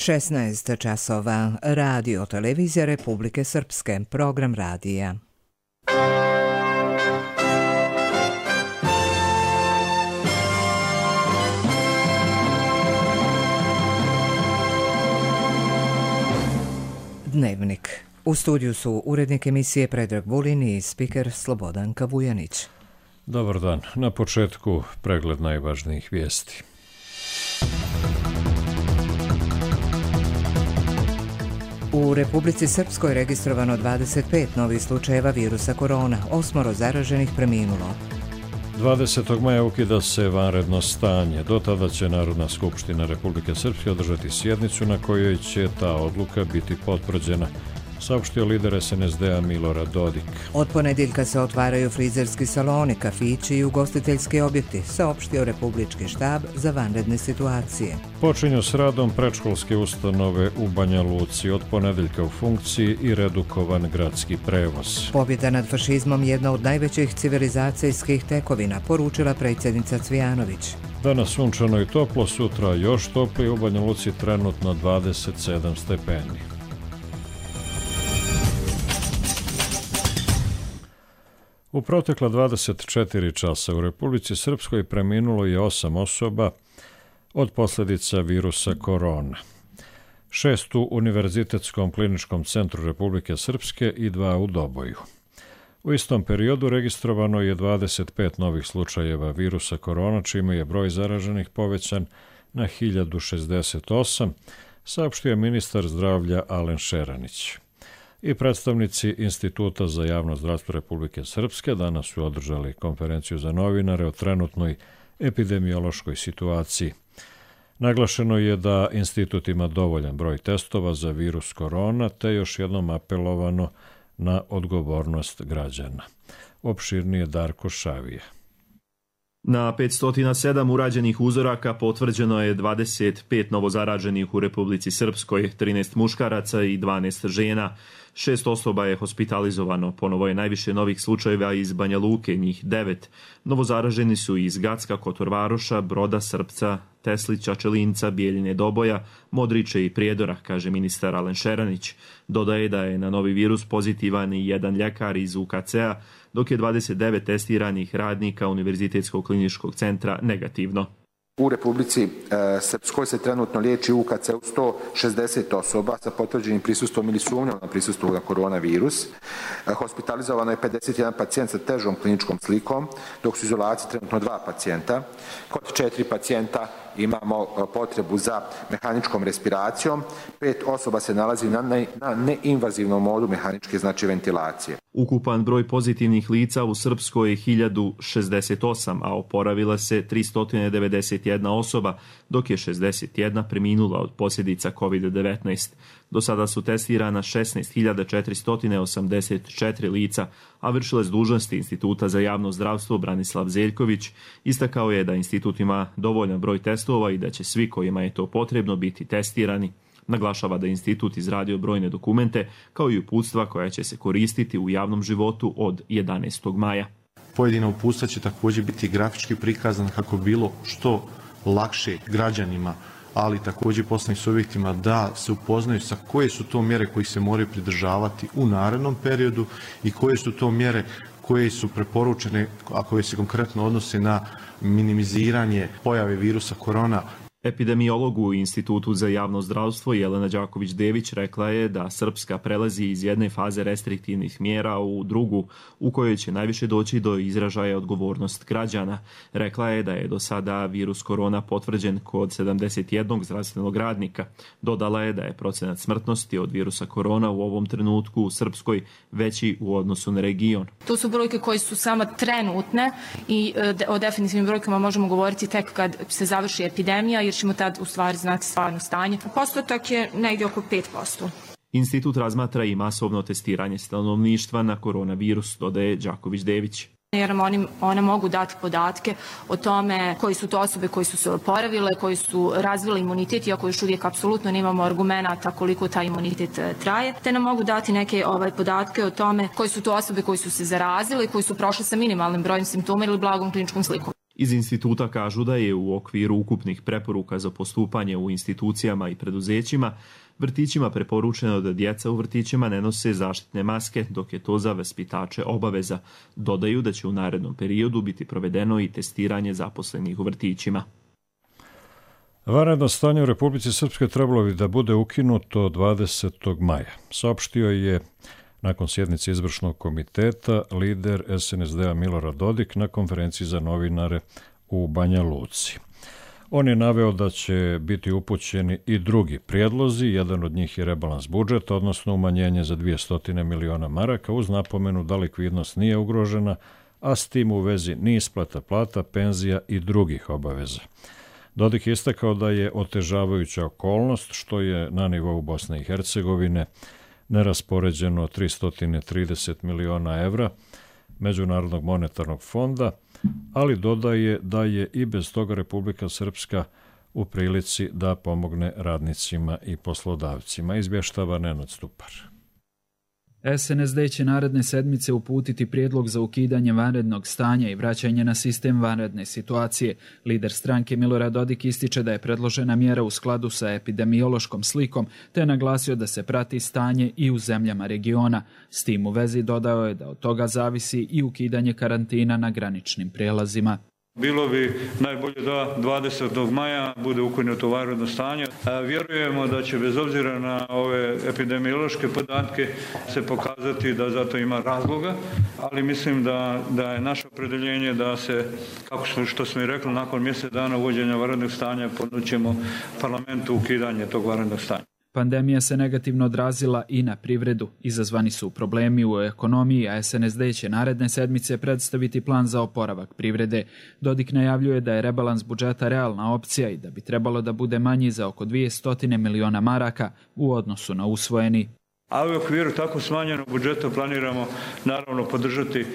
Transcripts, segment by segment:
16 časova. Radio televizija Republike Srpske. Program radija. Dnevnik. U studiju su urednik emisije Predrag Vulin i spiker Slobodanka Vujanić. Dobar dan. Na početku pregled najvažnijih vijesti. U Republici Srpskoj registrovano 25 novih slučajeva virusa korona, 8 zaraženih preminulo. 20. maja ukida se vanredno stanje. Do tada će Narodna skupština Republike Srpske održati sjednicu na kojoj će ta odluka biti potvrđena, saopštio lider SNSD-a Milorad Dodik. Od ponedjeljka se otvaraju frizerski saloni, kafići i ugostiteljski objekti, saopštio Republički štab za vanredne situacije. Počinju s radom predškolske ustanove u Banja Luci, od ponedjeljka u funkciji i redukovan gradski prevoz. Pobjeda nad fašizmom jedna od najvećih civilizacijskih tekovina, poručila predsjednica Cvijanović. Danas sunčano i toplo, sutra još toplije, u Banja Luci trenutno 27 stepeni. U protekla 24 časa u Republici Srpskoj preminulo je 8 osoba od posljedica virusa korona. 6 u Univerzitetskom kliničkom centru Republike Srpske i 2 u Doboju. U istom periodu registrovano je 25 novih slučajeva virusa korona, čime je broj zaraženih povećan na 1068, saopštio je ministar zdravlja Alen Šeranić. I predstavnici Instituta za javno zdravstvo Republike Srpske danas su održali konferenciju za novinare o trenutnoj epidemiološkoj situaciji. Naglašeno je da institut ima dovoljan broj testova za virus korona, te još jednom apelovano na odgovornost građana. Opširnije Darko Šavije. Na 507 urađenih uzoraka potvrđeno je 25 novozaraženih u Republici Srpskoj, 13 muškaraca i 12 žena. 6 osoba je hospitalizovano. Ponovo je najviše novih slučajeva iz Banja Luke, njih 9. Novozaraženi su iz Gacka, Kotorvaroša, Broda, Srpca, Teslića, Čelinca, Bijeljine, Doboja, Modriče i Prijedora, kaže ministar Alen Šeranić. Dodaje da je na novi virus pozitivan i jedan ljekar iz UKC-a, dok je 29 testiranih radnika Univerzitetskog kliničkog centra negativno. U Republici Srpskoj se trenutno liječi u UKC-u 160 osoba sa potvrđenim prisustvom ili sumnjom na prisustvo na koronavirus. Hospitalizovano je 51 pacijent sa težom kliničkom slikom, dok su u izolaciji trenutno 2 pacijenta. Kod 4 pacijenta imamo potrebu za mehaničkom respiracijom. 5 osoba se nalazi na neinvazivnom modu mehaničke, znači ventilacije. Ukupan broj pozitivnih lica u Srpskoj je 1068, a oporavila se 391 osoba, dok je 61 preminula od posljedica COVID-19. Do sada su testirana 16.484 lica, a vršilac dužnosti Instituta za javno zdravstvo Branislav Zeljković istakao je da institut ima dovoljan broj testova i da će svi kojima je to potrebno biti testirani. Naglašava da institut izradio brojne dokumente kao i uputstva koja će se koristiti u javnom životu od 11. maja. Pojedina uputstva će također biti grafički prikazana kako bi bilo što lakše građanima, ali također i poslovnim subjektima da se upoznaju sa koje su to mjere koji se moraju pridržavati u narednom periodu i koje su to mjere koje su preporučene, a koje se konkretno odnose na minimiziranje pojave virusa korona. Epidemiolog u Institutu za javno zdravstvo Jelena Đaković-Dević rekla je da Srpska prelazi iz jedne faze restriktivnih mjera u drugu, u kojoj će najviše doći do izražaja odgovornost građana. Rekla je da je do sada virus korona potvrđen kod 71 zdravstvenog radnika. Dodala je da je procenat smrtnosti od virusa korona u ovom trenutku u Srpskoj veći u odnosu na region. To su brojke koje su samo trenutne i o definitivnim brojkama možemo govoriti tek kad se završi epidemija, jer ćemo tad u stvari znati stvarno stanje. Postotak je negdje oko 5%. Institut razmatra i masovno testiranje stanovništva na koronavirus, dodaje Đaković-Dević. Jer one mogu dati podatke o tome koji su to osobe koji su se oporavile, koji su razvile imunitet, iako još uvijek apsolutno nemamo argumenata koliko taj imunitet traje, te nam mogu dati neke podatke o tome koji su to osobe koji su se zarazile i koji su prošle sa minimalnim brojem simptoma ili blagom kliničkom slikom. Iz instituta kažu da je u okviru ukupnih preporuka za postupanje u institucijama i preduzećima vrtićima preporučeno da djeca u vrtićima ne nose zaštitne maske, dok je to za vaspitače obaveza. Dodaju da će u narednom periodu biti provedeno i testiranje zaposlenih u vrtićima. Vanredno stanje u Republici Srpskoj trebalo bi da bude ukinuto 20. maja. Saopštio je nakon sjednice izvršnog komiteta lider SNSD-a Milorad Dodik na konferenciji za novinare u Banja Luci. On je naveo da će biti upućeni i drugi prijedlozi, jedan od njih je rebalans budžeta, odnosno umanjenje za 200 miliona maraka, uz napomenu da likvidnost nije ugrožena, a s tim u vezi ni isplata plata, penzija i drugih obaveza. Dodik je istakao da je otežavajuća okolnost što je na nivou Bosne i Hercegovine neraspoređeno 330 miliona evra Međunarodnog monetarnog fonda, ali dodaje da je i bez toga Republika Srpska u prilici da pomogne radnicima i poslodavcima, izvještava Nenad Stupar. SNSD će naredne sedmice uputiti prijedlog za ukidanje vanrednog stanja i vraćanje na sistem vanredne situacije. Lider stranke Milorad Dodik ističe da je predložena mjera u skladu sa epidemiološkom slikom, te je naglasio da se prati stanje i u zemljama regiona. S tim u vezi dodao je da od toga zavisi i ukidanje karantina na graničnim prijelazima. Bilo bi najbolje da 20. maja bude ukinuto vanredno stanje. Vjerujemo da će bez obzira na ove epidemiološke podatke se pokazati da zato ima razloga, ali mislim da je naše opredjeljenje da se, što smo i rekli, nakon mjesec dana uvođenja vanrednog stanja ponućemo parlamentu ukidanje tog vanrednog stanja. Pandemija se negativno odrazila i na privredu. Izazvani su problemi u ekonomiji, a SNSD će naredne sedmice predstaviti plan za oporavak privrede. Dodik najavljuje da je rebalans budžeta realna opcija i da bi trebalo da bude manji za oko 200 miliona maraka u odnosu na usvojeni. A u okviru tako smanjenog budžeta planiramo naravno podržati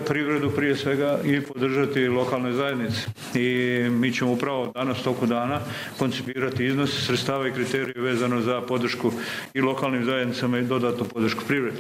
privredu prije svega i podržati lokalne zajednice. I mi ćemo upravo danas toku dana koncipirati iznos sredstava i kriterije vezano za podršku i lokalnim zajednicama i dodatnu podršku privredi.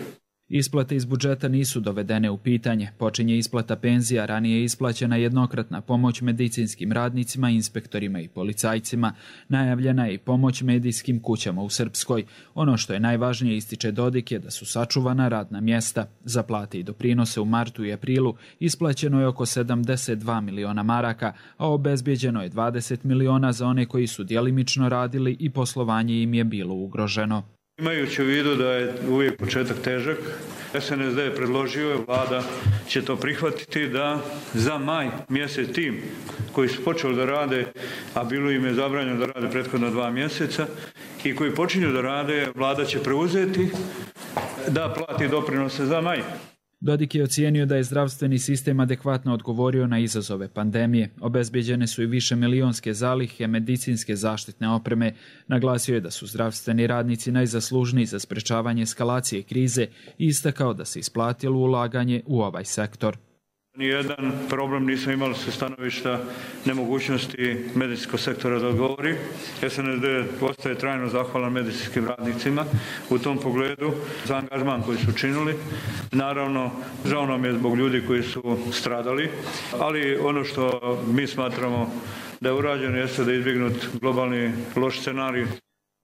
Isplate iz budžeta nisu dovedene u pitanje. Počinje isplata penzija, ranije je isplaćena jednokratna pomoć medicinskim radnicima, inspektorima i policajcima. Najavljena je i pomoć medijskim kućama u Srpskoj. Ono što je najvažnije, ističe Dodik, je da su sačuvana radna mjesta. Za plate i doprinose u martu i aprilu isplaćeno je oko 72 miliona maraka, a obezbjeđeno je 20 miliona za one koji su djelimično radili i poslovanje im je bilo ugroženo. Imajući u vidu da je uvijek početak težak, SNSD je predložio, vlada će to prihvatiti, da za maj mjesec tim koji su počeli da rade, a bilo im je zabranjeno da rade prethodno 2 mjeseca, i koji počinju da rade, vlada će preuzeti da plati doprinose za maj. Dodik je ocijenio da je zdravstveni sistem adekvatno odgovorio na izazove pandemije. Obezbjeđene su i više milionske zalihe medicinske zaštitne opreme. Naglasio je da su zdravstveni radnici najzaslužniji za sprečavanje eskalacije krize i istakao da se isplatilo ulaganje u ovaj sektor. Nijedan problem nismo imali sa stanovišta nemogućnosti medicinskog sektora da odgovori. SNSD ostaje trajno zahvalan medicinskim radnicima u tom pogledu za angažman koji su učinili. Naravno, žao nam je zbog ljudi koji su stradali, ali ono što mi smatramo da je urađeno jeste da je izbjegnut globalni loš scenarij.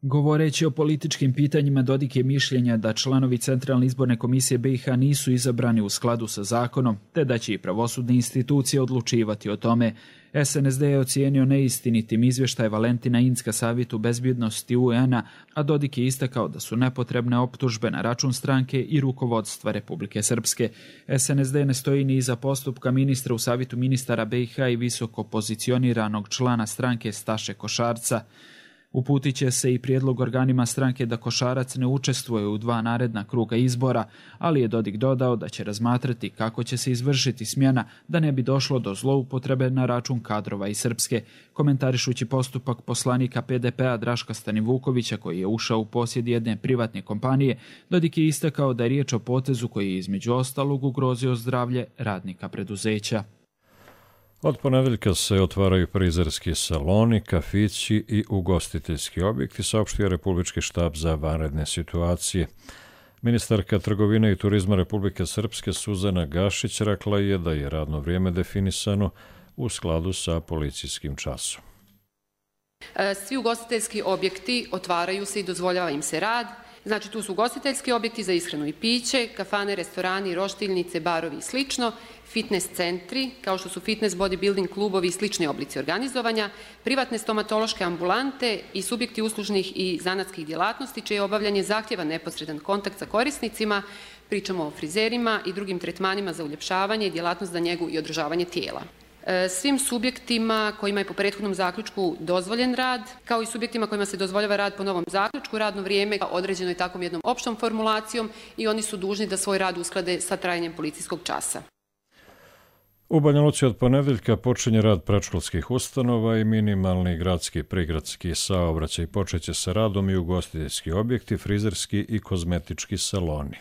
Govoreći o političkim pitanjima, Dodik je mišljenja da članovi Centralne izborne komisije BiH nisu izabrani u skladu sa zakonom, te da će i pravosudne institucije odlučivati o tome. SNSD je ocijenio neistinitim izvještaj Valentina Incka Savjetu bezbjednosti UN-a, a Dodik je istakao da su nepotrebne optužbe na račun stranke i rukovodstva Republike Srpske. SNSD ne stoji ni iza postupka ministra u Savjetu ministara BiH i visoko pozicioniranog člana stranke Staše Košarca. Uputit će se i prijedlog organima stranke da Košarac ne učestvuje u 2 naredna kruga izbora, ali je Dodik dodao da će razmatrati kako će se izvršiti smjena da ne bi došlo do zloupotrebe na račun kadrova iz Srpske. Komentarišući postupak poslanika PDP-a Draška Stanivukovića koji je ušao u posjed jedne privatne kompanije, Dodik je istakao da je riječ o potezu koji je između ostalog ugrozio zdravlje radnika preduzeća. Od ponedeljka se otvaraju frizerski saloni, kafići i ugostiteljski objekti, saopštio Republički štab za vanredne situacije. Ministarka trgovine i turizma Republike Srpske Suzana Gašić rekla je da je radno vrijeme definisano u skladu sa policijskim časom. Svi ugostiteljski objekti otvaraju se i dozvoljava im se rad. Znači, tu su ugostiteljski objekti za ishranu i piće, kafane, restorani, roštiljnice, barovi i slično, fitness centri, kao što su fitness, bodybuilding klubovi i slični oblici organizovanja, privatne stomatološke ambulante i subjekti uslužnih i zanatskih djelatnosti, čije obavljanje zahtjeva neposredan kontakt sa korisnicima, pričamo o frizerima i drugim tretmanima za uljepšavanje i djelatnost za njegu i održavanje tijela. Svim subjektima kojima je po prethodnom zaključku dozvoljen rad, kao i subjektima kojima se dozvoljava rad po novom zaključku, radno vrijeme određeno je takvom jednom opštom formulacijom i oni su dužni da svoj rad usklade sa trajanjem policijskog časa. U Banja Luci od ponedeljka počinje rad predškolskih ustanova i minimalni gradski prigradski saobraćaj. Počeće sa radom i ugostiteljski objekti, frizerski i kozmetički saloni.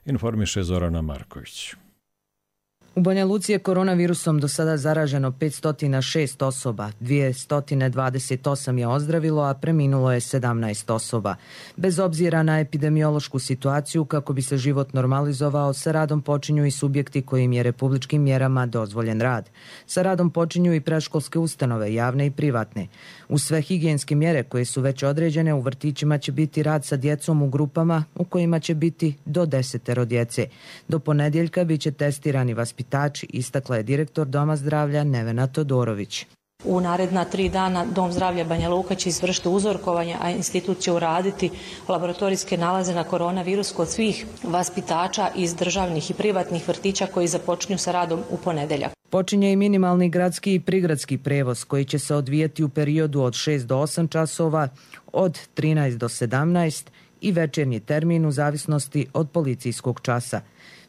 Informiše Zorana Marković. U Banja Luci je koronavirusom do sada zaraženo 506 osoba, 228 je ozdravilo, a preminulo je 17 osoba. Bez obzira na epidemiološku situaciju, kako bi se život normalizovao, sa radom počinju i subjekti kojim je republičkim mjerama dozvoljen rad. Sa radom počinju i predškolske ustanove, javne i privatne. Uz sve higijenske mjere koje su već određene, u vrtićima će biti rad sa djecom u grupama u kojima će biti do 10 djece. Do ponedjeljka bit će testirani vaspitači, istakla je direktor Doma zdravlja Nevena Todorović. U naredna 3 dana Dom zdravlja Banja Luka će izvršiti uzorkovanje, a institut će uraditi laboratorijske nalaze na koronavirus kod svih vaspitača iz državnih i privatnih vrtića koji započinju sa radom u ponedjeljak. Počinje i minimalni gradski i prigradski prevoz koji će se odvijati u periodu od 6 do 8 časova, od 13 do 17 i večernji termin u zavisnosti od policijskog časa.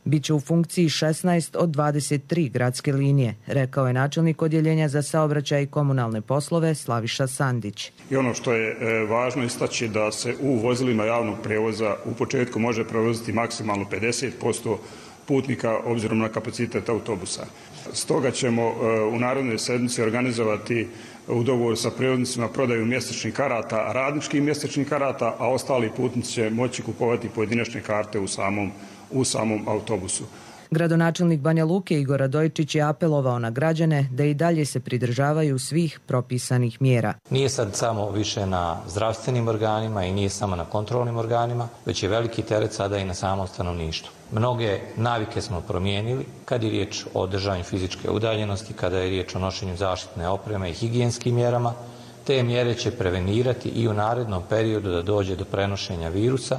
Biće u funkciji 16 od 23 gradske linije, rekao je načelnik odjeljenja za saobraćaj i komunalne poslove Slaviša Sandić. I ono što je važno istaći da se u vozilima javnog prevoza u početku može prevoziti maksimalno 50% putnika obzirom na kapacitet autobusa. Stoga ćemo u narednoj sedmici organizovati u dogovoru sa prijevoznicima prodaju mjesečnih karata, radničkih mjesečnih karata, a ostali putnici će moći kupovati pojedinačne karte u samom autobusu. Gradonačelnik Banja Luke Igor Radojčić je apelovao na građane da i dalje se pridržavaju svih propisanih mjera. Nije sad samo više na zdravstvenim organima i nije samo na kontrolnim organima, već je veliki teret sada i na samom stanovništvu. Mnoge navike smo promijenili kad je riječ o držanju fizičke udaljenosti, kada je riječ o nošenju zaštitne opreme i higijenskim mjerama. Te mjere će prevenirati i u narednom periodu da dođe do prenošenja virusa,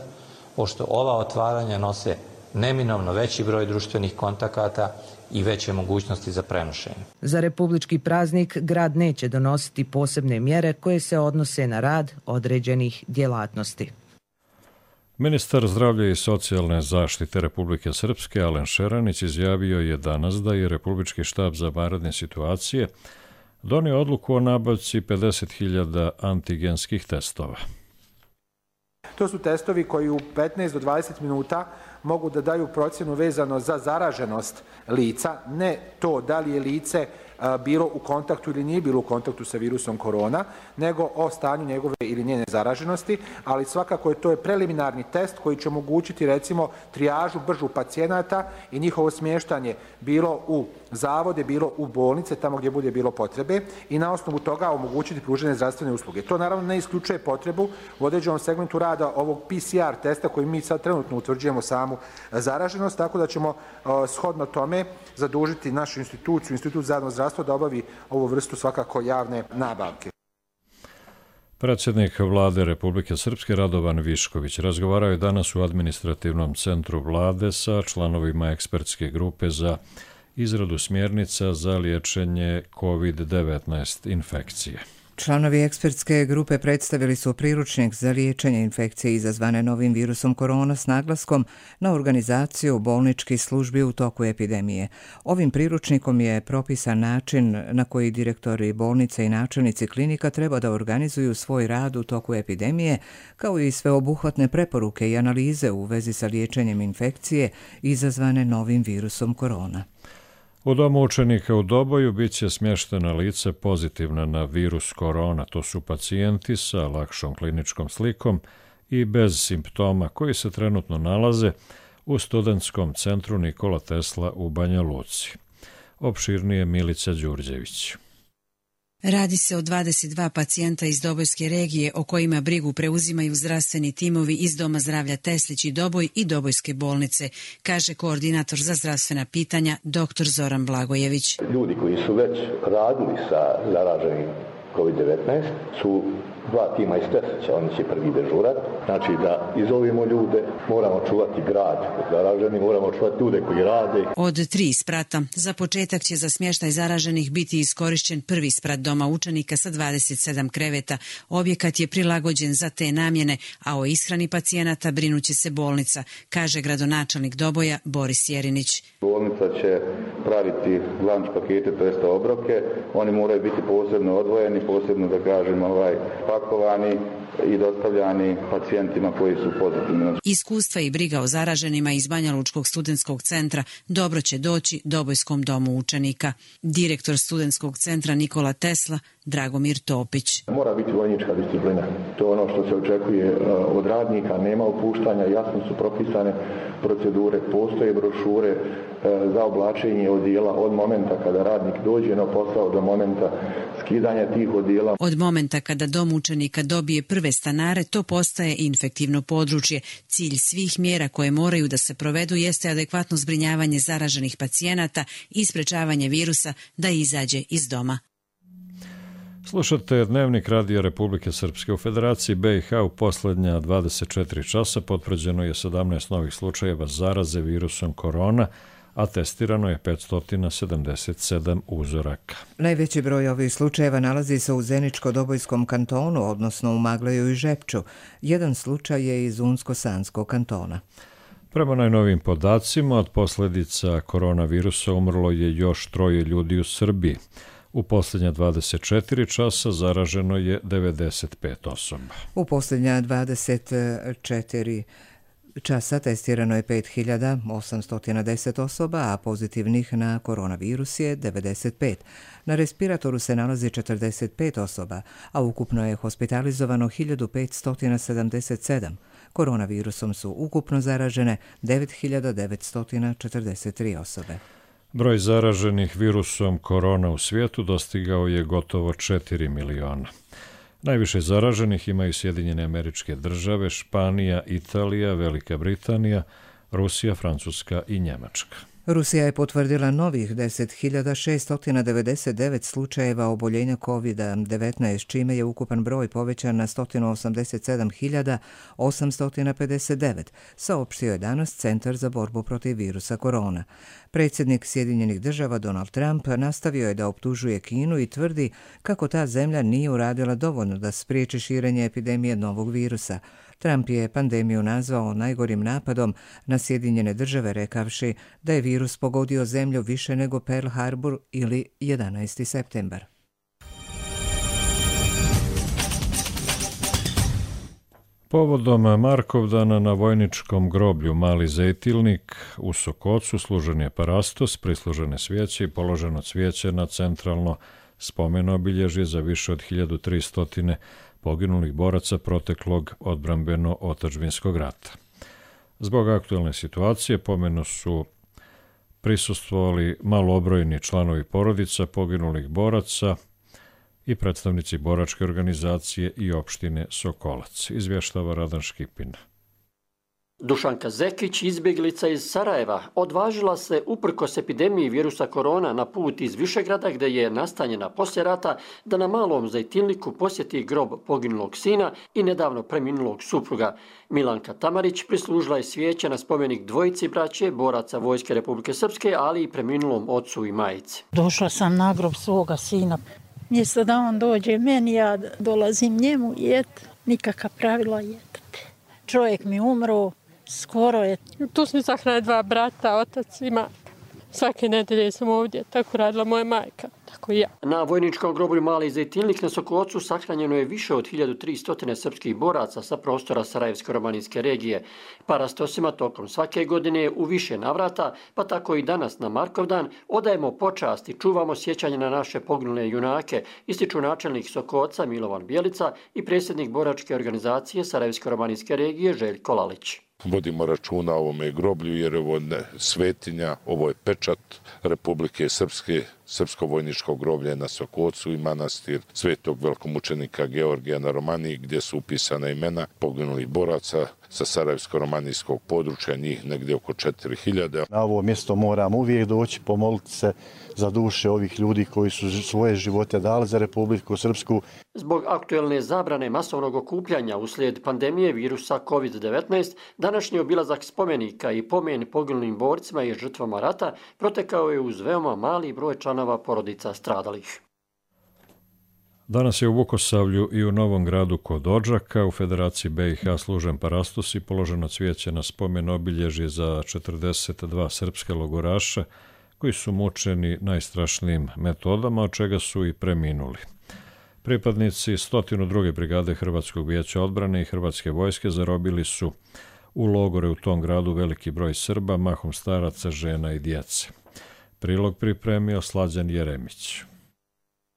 pošto ova otvaranja nose neminovno veći broj društvenih kontakata i veće mogućnosti za prenošenje. Za republički praznik grad neće donositi posebne mjere koje se odnose na rad određenih djelatnosti. Ministar zdravlja i socijalne zaštite Republike Srpske Alen Šeranić izjavio je danas da je Republički štab za vanredne situacije donio odluku o nabavci 50.000 antigenskih testova. To su testovi koji u 15 do 20 minuta mogu da daju procjenu vezano za zaraženost lica, ne to da li je lice bilo u kontaktu ili nije bilo u kontaktu sa virusom korona, nego o stanju njegove ili njene zaraženosti, ali svakako to je preliminarni test koji će omogućiti recimo trijažu bržu pacijenata i njihovo smještanje bilo u zavode, bilo u bolnice, tamo gdje bude bilo potrebe i na osnovu toga omogućiti pružanje zdravstvene usluge. To naravno ne isključuje potrebu u određenom segmentu rada ovog PCR testa koji mi sad trenutno utvrđujemo samu zaraženost, tako da ćemo shodno tome zadužiti našu instituciju, Institut za javno zdravstvo, da obavi ovu vrstu svakako javne nabavke. Predsjednik Vlade Republike Srpske Radovan Višković razgovarao je danas u administrativnom centru Vlade sa članovima ekspertske grupe za izradu smjernica za liječenje COVID-19 infekcije. Članovi ekspertske grupe predstavili su priručnik za liječenje infekcije izazvane novim virusom korona s naglaskom na organizaciju bolničkih službi u toku epidemije. Ovim priručnikom je propisan način na koji direktori bolnice i načelnici klinika treba da organizuju svoj rad u toku epidemije, kao i sveobuhvatne preporuke i analize u vezi sa liječenjem infekcije izazvane novim virusom korona. U domu učenika u Doboju bit će smještena lice pozitivna na virus korona. To su pacijenti sa lakšom kliničkom slikom i bez simptoma koji se trenutno nalaze u studentskom centru Nikola Tesla u Banja Luci. Opširnije Milica Đurđević. Radi se o 22 pacijenta iz Dobojske regije o kojima brigu preuzimaju zdravstveni timovi iz Doma zdravlja Teslić i Doboj i Dobojske bolnice, kaže koordinator za zdravstvena pitanja dr. Zoran Blagojević. Ljudi koji su već radili sa zaraženim COVID-19 su 2 tima iz Teslića, oni će prvi dežurat. Znači da izolujemo ljude, moramo čuvati grad od zaraženih, moramo čuvati ljude koji rade. Od 3 sprata za početak će za smještaj zaraženih biti iskorišćen prvi sprat doma učenika sa 27 kreveta. Objekat je prilagođen za te namjene, a o ishrani pacijenata brinuće se bolnica, kaže gradonačelnik Doboja Boris Jerinić. Bolnica će praviti lunch pakete, to jest obroke. Oni moraju biti posebno odvojeni, posebno da kažem pakovani i dostavljani pacijentima koji su pozitivni. Iskustva i briga o zaraženima iz Banjalučkog studentskog centra dobro će doći Dobojskom domu učenika. Direktor studentskog centra Nikola Tesla, Dragomir Topić. Mora biti vojnička disciplina. To je ono što se očekuje od radnika, nema opuštanja, jasno su propisane procedure, postoje brošure za oblačenje odijela od momenta kada radnik dođe na posao do momenta skidanja tih odijela. Od momenta kada dom učenika dobije prve stanare, to postaje infektivno područje. Cilj svih mjera koje moraju da se provedu jeste adekvatno zbrinjavanje zaraženih pacijenata i sprečavanje virusa da izađe iz doma. Slušate Dnevnik Radija Republike Srpske. U Federaciji BiH u posljednja 24 časa potvrđeno je 17 novih slučajeva zaraze virusom korona, a testirano je 577 uzoraka. Najveći broj ovih slučajeva nalazi se u Zeničko-Dobojskom kantonu, odnosno u Magleju i Žepču. Jedan slučaj je iz Unsko-Sanskog kantona. Prema najnovijim podacima, od posljedica koronavirusa umrlo je još 3 ljudi u Srbiji. U posljednja 24 časa zaraženo je 95 osoba. U posljednja 24 časa testirano je 5810 osoba, a pozitivnih na koronavirus je 95. Na respiratoru se nalazi 45 osoba, a ukupno je hospitalizovano 1577. Koronavirusom su ukupno zaražene 9943 osobe. Broj zaraženih virusom korona u svijetu dostigao je gotovo 4 miliona. Najviše zaraženih imaju Sjedinjene Američke Države, Španija, Italija, Velika Britanija, Rusija, Francuska i Njemačka. Rusija je potvrdila novih 10.699 slučajeva oboljenja COVID-19, čime je ukupan broj povećan na 187.859, saopštio je danas Centar za borbu protiv virusa korona. Predsjednik Sjedinjenih Država Donald Trump nastavio je da optužuje Kinu i tvrdi kako ta zemlja nije uradila dovoljno da spriječi širenje epidemije novog virusa. Trump je pandemiju nazvao najgorim napadom na Sjedinjene Države, rekavši da je virus pogodio zemlju više nego Pearl Harbor ili 11. septembar. Povodom Markovdana na vojničkom groblju Mali Zejtilnik u Sokocu služen je parastos, prislužene svijeće i položeno cvijeće na centralno spomen obilježje za više od 1300 poginulih boraca proteklog odbrambeno-otadžbinskog rata. Zbog aktualne situacije pomenu su prisustvovali malobrojni članovi porodica poginulih boraca i predstavnici boračke organizacije i opštine Sokolac, izvještava Radan Škipin. Dušanka Zekić, izbjeglica iz Sarajeva, odvažila se uprkos epidemiji virusa korona na put iz Višegrada, gdje je nastanjena poslije rata, da na Malom Zejtilniku posjeti grob poginulog sina i nedavno preminulog supruga. Milanka Tamarić prislužila je svijeće na spomenik dvojici braće, boraca Vojske Republike Srpske, ali i preminulom ocu i majici. Došla sam na grob svoga sina. Mjesto da on dođe meni, ja dolazim njemu jet, nikakva pravila jetati. Čovjek mi umro, skoro je. Tu smo sahrali 2 brata, otac i majka. Svake nedelje sam ovdje, tako radila moja majka. tako i ja. Na vojničkom groblju Mali Zejtinlik na Sokocu sahranjeno je više od 1300 srpskih boraca sa prostora Sarajevsko-romanijske regije. Parastosima tokom svake godine u više navrata, pa tako i danas na Markovdan, odajemo počast i čuvamo sjećanje na naše poginule junake, ističu načelnik Sokoca Milovan Bjelica i predsjednik boračke organizacije Sarajevsko-romanijske regije Željko Lalić. Vodimo računa o ovome groblju jer ovo je svetinja, ovo je pečat Republike Srpske, srpsko vojničko groblje na Sokocu i manastir svetog velikomučenika Georgija na Romaniji gdje su upisana imena poginulih boraca sa sarajevsko-romanijskog područja, njih negdje oko 4000. Na ovo mjesto moramo uvijek doći, pomoliti se za duše ovih ljudi koji su svoje živote dali za Republiku Srpsku. Zbog aktuelne zabrane masovnog okupljanja uslijed pandemije virusa COVID-19, današnji obilazak spomenika i pomen poginulim borcima i žrtvama rata protekao je uz veoma mali broj članova porodica stradalih. Danas je u Vukosavlju i u Novom Gradu kod Odžaka u Federaciji BiH služen parastos i položeno cvijeće na spomen obilježje za 42 srpske logoraša koji su mučeni najstrašnijim metodama, od čega su i preminuli. Pripadnici 102. brigade Hrvatskog vijeća odbrane i Hrvatske vojske zarobili su u logore u tom gradu veliki broj Srba, mahom staraca, žena i djece. Prilog pripremio Slađan Jeremić.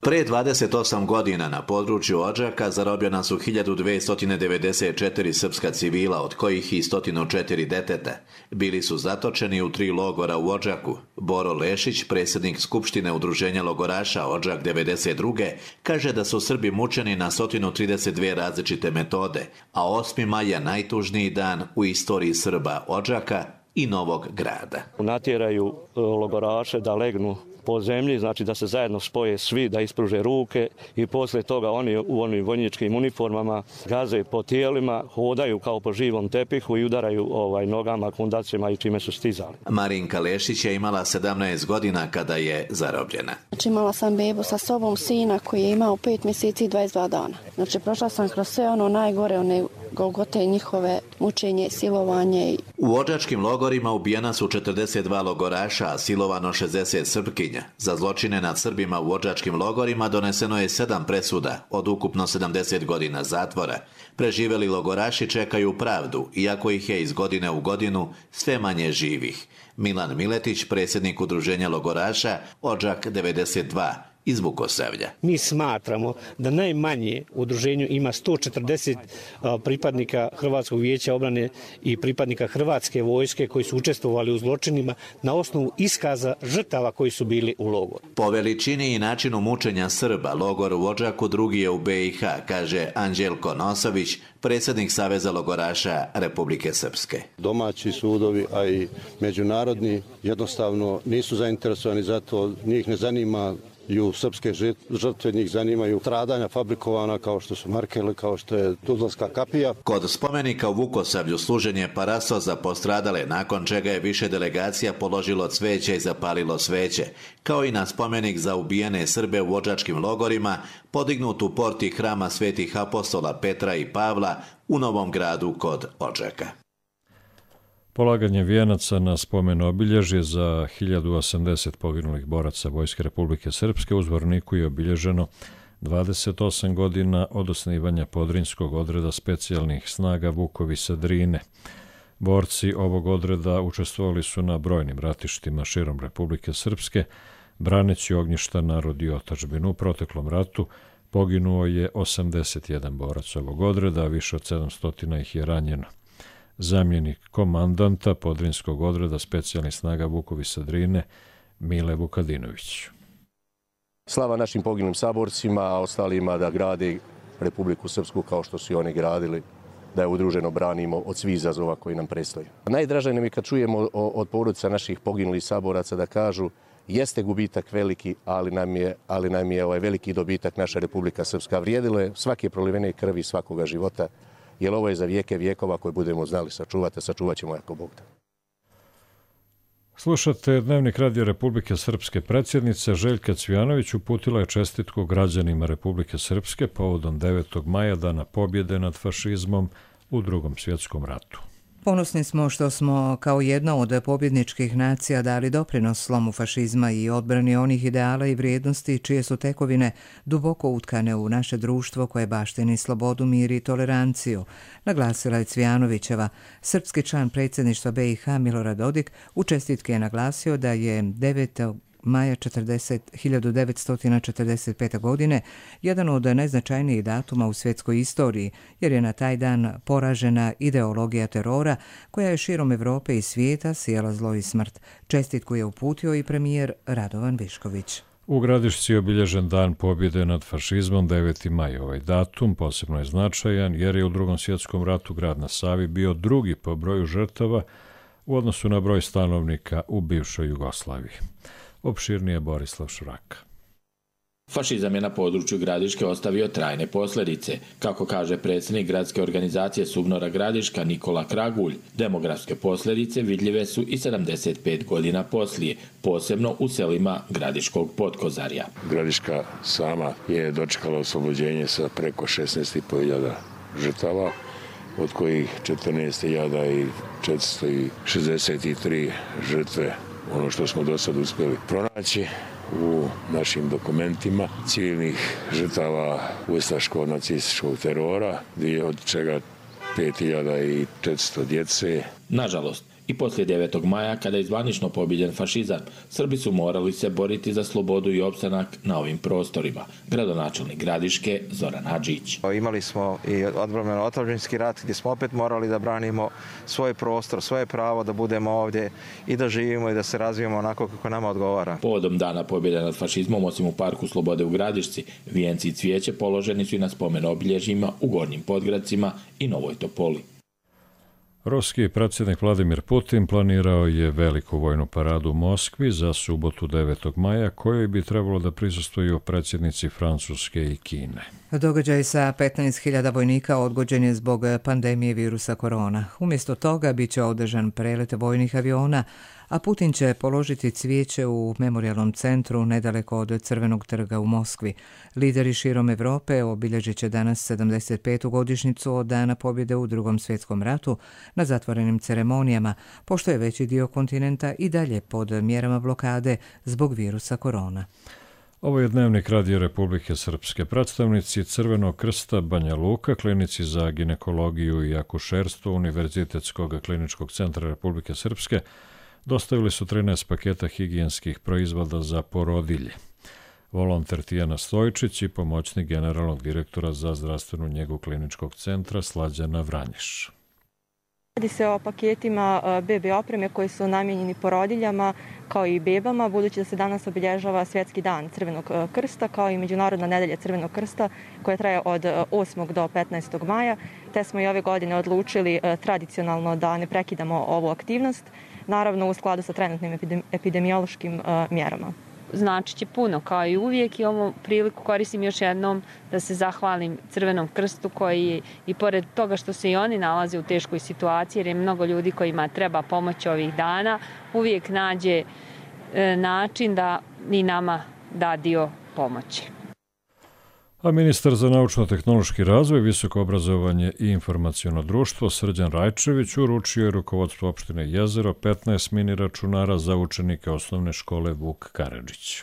Pre 28 godina na području Odžaka zarobljena su 1294 srpska civila, od kojih i 104 deteta. Bili su zatočeni u 3 logora u Odžaku. Boro Lešić, predsjednik Skupštine Udruženja logoraša Odžak 92. kaže da su Srbi mučeni na 132 različite metode, a 8. maj je najtužniji dan u istoriji Srba Odžaka i Novog Grada. Natjeraju logoraše da legnu po zemlji, znači da se zajedno spoje svi, da ispruže ruke i poslije toga oni u onim vojničkim uniformama gaze po tijelima, hodaju kao po živom tepihu i udaraju nogama, kundacima i čime su stizali. Marinka Lešić je imala 17 godina kada je zarobljena. Znači imala sam bebu sa sobom, sina koji je imao 5 mjeseci i 22 dana. Znači prošla sam kroz sve ono najgore, one golgote njihove, mučenje, silovanje. U odžačkim logorima ubijena su 42 logoraša, a silovano 60 Srpkinja. Za zločine nad Srbima u odžačkim logorima doneseno je 7 presuda od ukupno 70 godina zatvora. Preživeli logoraši čekaju pravdu, iako ih je iz godine u godinu sve manje živih. Milan Miletić, predsjednik Udruženja logoraša Odžak 92 iz Vukosavlja. Mi smatramo da najmanje u udruženju ima 140 pripadnika Hrvatskog vijeća obrane i pripadnika Hrvatske vojske koji su učestvovali u zločinima na osnovu iskaza žrtava koji su bili u logoru. Po veličini i načinu mučenja Srba, logor u Odžaku drugi je u BiH, kaže Anđelko Nosović, predsjednik Saveza logoraša Republike Srpske. Domaći sudovi, a i međunarodni jednostavno nisu zainteresovani za to, njih ne zanima srpske žrtve, njih zanimaju stradanja fabrikovana kao što su Markele, kao što je Tuzlanska kapija. Kod spomenika u Vukosavlju služen je parastos za postradale, nakon čega je više delegacija položilo cveće i zapalilo sveće, kao i na spomenik za ubijene Srbe u odžačkim logorima, podignut u porti hrama svetih apostola Petra i Pavla u Novom Gradu kod Odžaka. Polaganje vijenaca na spomen obilježje za 1080 poginulih boraca Vojske Republike Srpske u Zvorniku je obilježeno 28 godina od osnivanja Podrinjskog odreda specijalnih snaga Vukovi sa Drine. Borci ovog odreda učestvovali su na brojnim ratištima širom Republike Srpske, braneći ognjišta, narod i otadžbinu. U proteklom ratu poginuo je 81 borac ovog odreda, a više od 700 ih je ranjeno. Zamjenik komandanta Podrinjskog odreda specijalnih snaga Vukovi sa Drine, Mile Vukadinović. Slava našim poginulim saborcima, a ostalima da grade Republiku Srpsku kao što su i oni gradili, da je udruženo branimo od svih izazova koji nam predstoje. Najdraže nam je kad čujemo od porodica naših poginulih saboraca da kažu jeste gubitak veliki, ali nam je veliki dobitak naša Republika Srpska. Vrijedilo je svake prolivene krvi svakoga života, jer ovo je za vijeke vijekova koje budemo znali sačuvati, sačuvat ćemo jako Bog da. Slušate Dnevnik Radio Republike Srpske. Predsjednica Željka Cvijanović uputila je čestitku građanima Republike Srpske povodom 9. maja, dana pobjede nad fašizmom u Drugom svjetskom ratu. Ponosni smo što smo kao jedna od pobjedničkih nacija dali doprinos slomu fašizma i odbrani onih ideala i vrijednosti čije su tekovine duboko utkane u naše društvo koje baštini slobodu, mir i toleranciju, naglasila je Cvijanovićeva. Srpski član predsjedništva BiH Milorad Dodik u čestitke je naglasio da je 9. maja 1945. godine jedan od najznačajnijih datuma u svjetskoj istoriji, jer je na taj dan poražena ideologija terora koja je širom Evrope i svijeta sijala zlo i smrt. Čestitku je uputio i premijer Radovan Višković. U Gradišci je obilježen dan pobjede nad fašizmom 9. maj. Ovaj datum posebno je značajan jer je u Drugom svjetskom ratu grad na Savi bio drugi po broju žrtava u odnosu na broj stanovnika u bivšoj Jugoslaviji. Opširnije Borislav Šuraka. Fašizam je na području Gradiške ostavio trajne posljedice. Kako kaže predsjednik gradske organizacije Subnora Gradiška Nikola Kragulj, demografske posljedice vidljive su i 75 godina poslije, posebno u selima Gradiškog Potkozarja. Gradiška sama je dočekala oslobođenje sa preko 16.500 žrtava, od kojih 14.463 žrtve, ono što smo do sad uspjeli pronaći u našim dokumentima, civilnih žrtava ustaško-nacističkog terora, od čega 5.400 djece. Nažalost, i poslije 9. maja, kada je zvanično pobjeđen fašizam, Srbi su morali se boriti za slobodu i opstanak na ovim prostorima. Gradonačelnik Gradiške Zoran Hadžić. Imali smo i odbrambeno-otadžbinski rat gdje smo opet morali da branimo svoj prostor, svoje pravo da budemo ovdje i da živimo i da se razvijemo onako kako nama odgovara. Povodom dana pobjede nad fašizmom, osim u Parku Slobode u Gradišci, vijenci i cvijeće položeni su i na spomen obilježjima u Gornjim Podgradcima i Novoj Topoli. Ruski predsjednik Vladimir Putin planirao je veliku vojnu paradu u Moskvi za subotu 9. maja, kojoj bi trebalo da prisustvuju predsjednici Francuske i Kine. Događaj sa 15.000 vojnika odgođen je zbog pandemije virusa korona. Umjesto toga bit će održan prelet vojnih aviona, a Putin će položiti cvijeće u memorijalnom centru nedaleko od Crvenog trga u Moskvi. Lideri širom Evrope obilježit će danas 75. godišnjicu od dana pobjede u Drugom svjetskom ratu na zatvorenim ceremonijama, pošto je veći dio kontinenta i dalje pod mjerama blokade zbog virusa korona. Ovo je dnevnik Radio Republike Srpske. Predstavnici Crvenog krsta Banja Luka, klinici za ginekologiju i akušerstvo Univerzitetskog kliničkog centra Republike Srpske dostavili su 13 paketa higijenskih proizvoda za porodilje. Volonter Tijana Stojčić i pomoćnik generalnog direktora za zdravstvenu njegu kliničkog centra Slađana Vranješ. Radi se o paketima bebe opreme koji su namijenjeni porodiljama kao i bebama, budući da se danas obilježava Svjetski dan Crvenog krsta kao i Međunarodna nedelja Crvenog krsta koja traje od 8. do 15. maja, te smo i ove godine odlučili tradicionalno da ne prekidamo ovu aktivnost, naravno u skladu sa trenutnim epidemiološkim mjerama. Znači će puno kao i uvijek i ovu priliku koristim još jednom da se zahvalim Crvenom krstu koji i pored toga što se i oni nalaze u teškoj situaciji jer je mnogo ljudi kojima treba pomoć ovih dana, uvijek nađe način da i nama da dio pomoći. A ministar za naučno-tehnološki razvoj, visoko obrazovanje i informaciono društvo Srđan Rajčević uručio je rukovodstvu opštine Jezero 15 mini računara za učenike osnovne škole Vuk Karadžić.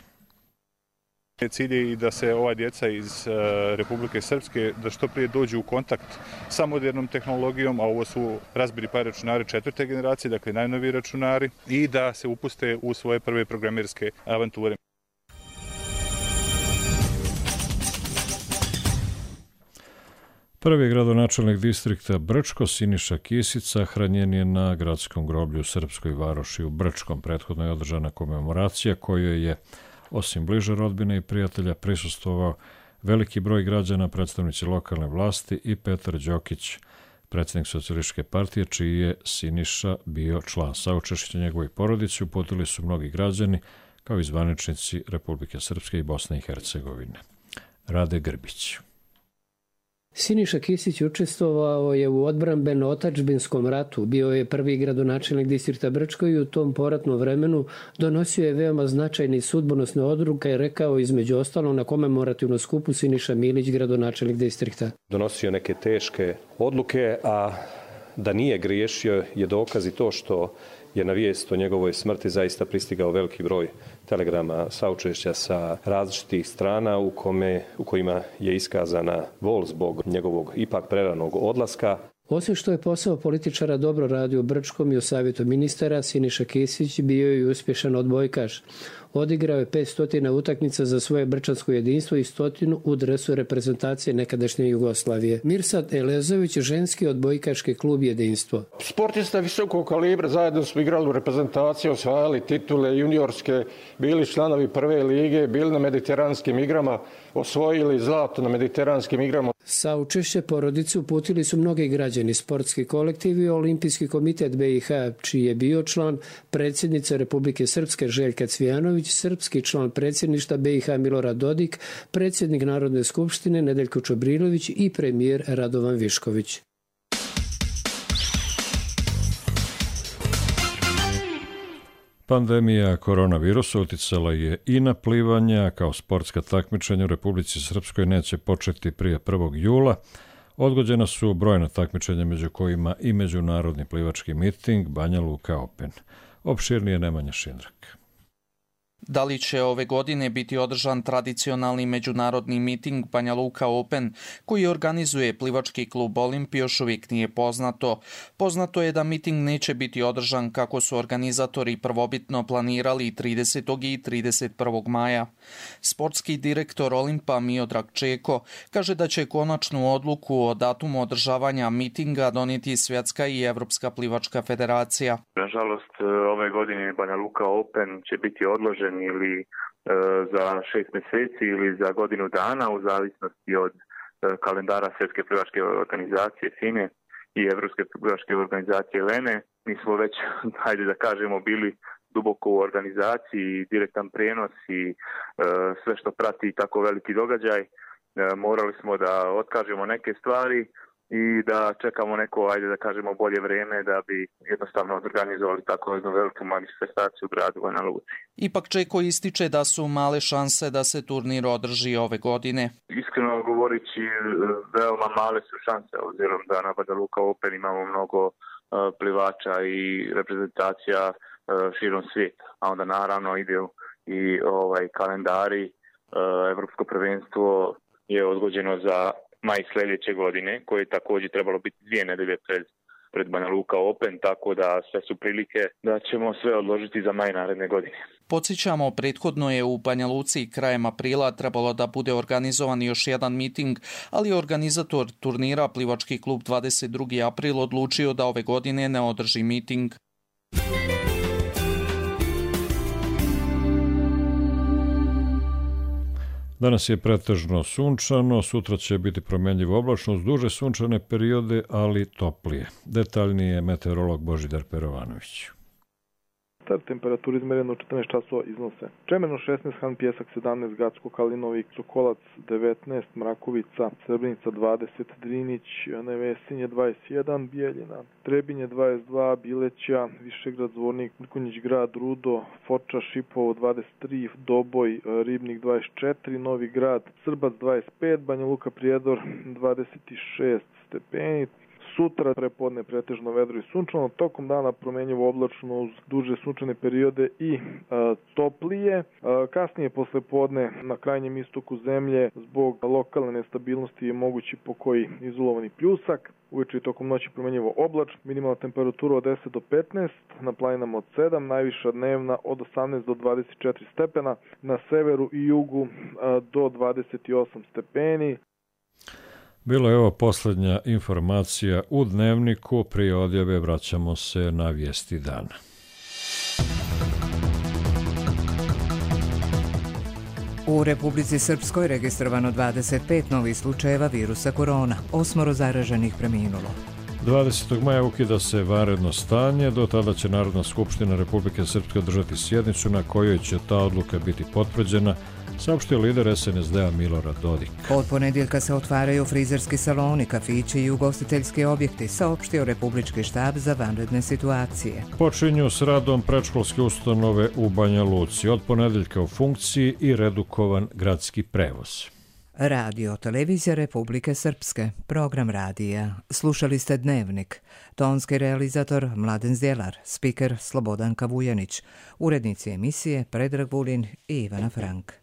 Cilj je i da se ova djeca iz Republike Srpske da što prije dođu u kontakt sa modernom tehnologijom, a ovo su Raspberry Pi računari 4. generacije, dakle najnoviji računari, i da se upuste u svoje prve programerske avanture. Prvi gradonačelnik distrikta Brčko, Siniša Kisić, sahranjen je na gradskom groblju u Srpskoj Varoši u Brčkom. Prethodno je održana komemoracija kojoj je, osim bliže rodbine i prijatelja, prisustvovao veliki broj građana, predstavnici lokalne vlasti i Petar Đokić, predsjednik Socijalističke partije, čiji je Siniša bio član. Saučešće njegovoj porodici uputili su mnogi građani, kao i zvaničnici Republike Srpske i Bosne i Hercegovine. Rade Grbić. Siniša Kisić učestvovao je u odbrambeno-otadžbinskom ratu, bio je prvi gradonačelnik distrikta Brčko i u tom poratnom vremenu donosio je veoma značajne i sudbonosne odluke i rekao između ostalog na komemorativnom skupu Siniša Milić, gradonačelnik distrikta. Donosio neke teške odluke, a da nije griješio je dokaz i to što je na vijest o njegovoj smrti zaista pristigao veliki broj telegrama saučešća sa različitih strana u kojima je iskazana bol zbog njegovog ipak preranog odlaska. Osim što je posao političara dobro radio u Brčkom i u savjetu ministara, Siniša Kesić bio je i uspješan odbojkaš. Odigrao je 500 utakmica za svoje brčansko jedinstvo i 100 u dresu reprezentacije nekadašnje Jugoslavije. Mirsad Elezović, ženski odbojkaški klub Jedinstvo. Sportista visokog kalibra, zajedno smo igrali u reprezentaciji, osvajali titule juniorske, bili članovi prve lige, bili na mediteranskim igrama, osvojili zlato na mediteranskim igrama. Saučešće porodice uputili su mnogi građani, sportski kolektiv i Olimpijski komitet BiH, čiji je bio član predsjednica Republike Srpske Željka Cvijanović, srpski član predsjedništva BiH Milorad Dodik, predsjednik Narodne skupštine Nedeljko Čobrilović i premijer Radovan Višković. Pandemija koronavirusa uticala je i na plivanje, kao sportska takmičenja u Republici Srpskoj neće početi prije 1. jula. Odgođena su brojna takmičenja, među kojima i međunarodni plivački miting Banja Luka Open. Opširnije Nemanja Šindrak. Da li će ove godine biti održan tradicionalni međunarodni miting Banja Luka Open, koji organizuje plivački klub Olimpij, još uvijek nije poznato. Poznato je da miting neće biti održan kako su organizatori prvobitno planirali 30. i 31. maja. Sportski direktor Olimpa Miodrag Čeko kaže da će konačnu odluku o datumu održavanja mitinga donijeti Svjetska i Evropska plivačka federacija. Nažalost, ove godine Banja Luka Open će biti odložen ili za 6 mjeseci ili za godinu dana u zavisnosti od kalendara Svjetske plivačke organizacije FINE i Evropske plivačke organizacije LENE. Mi smo već, hajde da kažemo, bili duboko u organizaciji, direktan prijenos i sve što prati tako veliki događaj. Morali smo da otkažemo neke stvari i da čekamo neko, ajde da kažemo, bolje vrijeme da bi jednostavno organizovali tako jednu veliku manifestaciju u gradu Banja Luci. Ipak Čeko ističe da su male šanse da se turnir održi ove godine. Iskreno govorići, veoma male su šanse, obzirom da na Banja Luka Open imamo mnogo plivača i reprezentacija širom svijeta. A onda naravno ide i kalendari. Evropsko prvenstvo je odgođeno za maj sljedeće godine, koje je također trebalo biti 2 nedelje pred Banja Luka Open, tako da sve su prilike da ćemo sve odložiti za maj naredne godine. Podsjećamo, prethodno je u Banja Luci krajem aprila trebalo da bude organizovan još jedan miting, ali organizator turnira plivački klub 22. april odlučio da ove godine ne održi miting. Danas je pretežno sunčano, sutra će biti promjenjivo oblačno uz duže sunčane periode, ali toplije. Detaljnije meteorolog Božidar Perovanović. Start temperaturi izmereno u 14 časova iznose Čemerno 16, Han Pjesak 17, Gacko, Kalinovik, Sokolac 19, Mrakovica, Srebrenica 20, Drinić, Nevesinje 21, Bijeljina, Trebinje 22, Bileća, Višegrad, Zvornik, Mrkonjić grad, Rudo, Foča, Šipovo 23, Doboj, Ribnik 24, Novi grad, Srbac 25, Banja Luka, Prijedor 26 stepeni. Sutra prepodne pretežno vedro i sunčano, tokom dana promjenjivo oblačno uz duže sunčane periode i toplije. Kasnije posle podne na krajnjem istoku zemlje zbog lokalne nestabilnosti je mogući pokoji izolovani pljusak. Uveče i tokom noći promjenjivo oblačno, minimalna temperatura od 10 do 15, na planinama od 7, najviša dnevna od 18 do 24 stepena, na severu i jugu do 28 stepeni. Bilo je ovo posljednja informacija u Dnevniku. Prije odjave vraćamo se na vijesti dana. U Republici Srpskoj registrovano 25 novih slučajeva virusa korona, 8 zaraženih preminulo. 20. maja ukida se vanredno stanje, do tada će Narodna skupština Republike Srpske održati sjednicu na kojoj će ta odluka biti potvrđena, saopštio lider SNSD-a Milorad Dodik. Od ponedjeljka se otvaraju frizerski saloni, kafići i ugostiteljski objekti, saopštio Republički štab za vanredne situacije. Počinju s radom predškolske ustanove u Banja Luci. Od ponedjeljka u funkciji i redukovan gradski prevoz. Radio Televizija Republike Srpske, program radija. Slušali ste Dnevnik. Tonski realizator Mladen Zdjelar, spiker Slobodanka Vujanić, urednici emisije Predrag Vulin i Ivana Frank.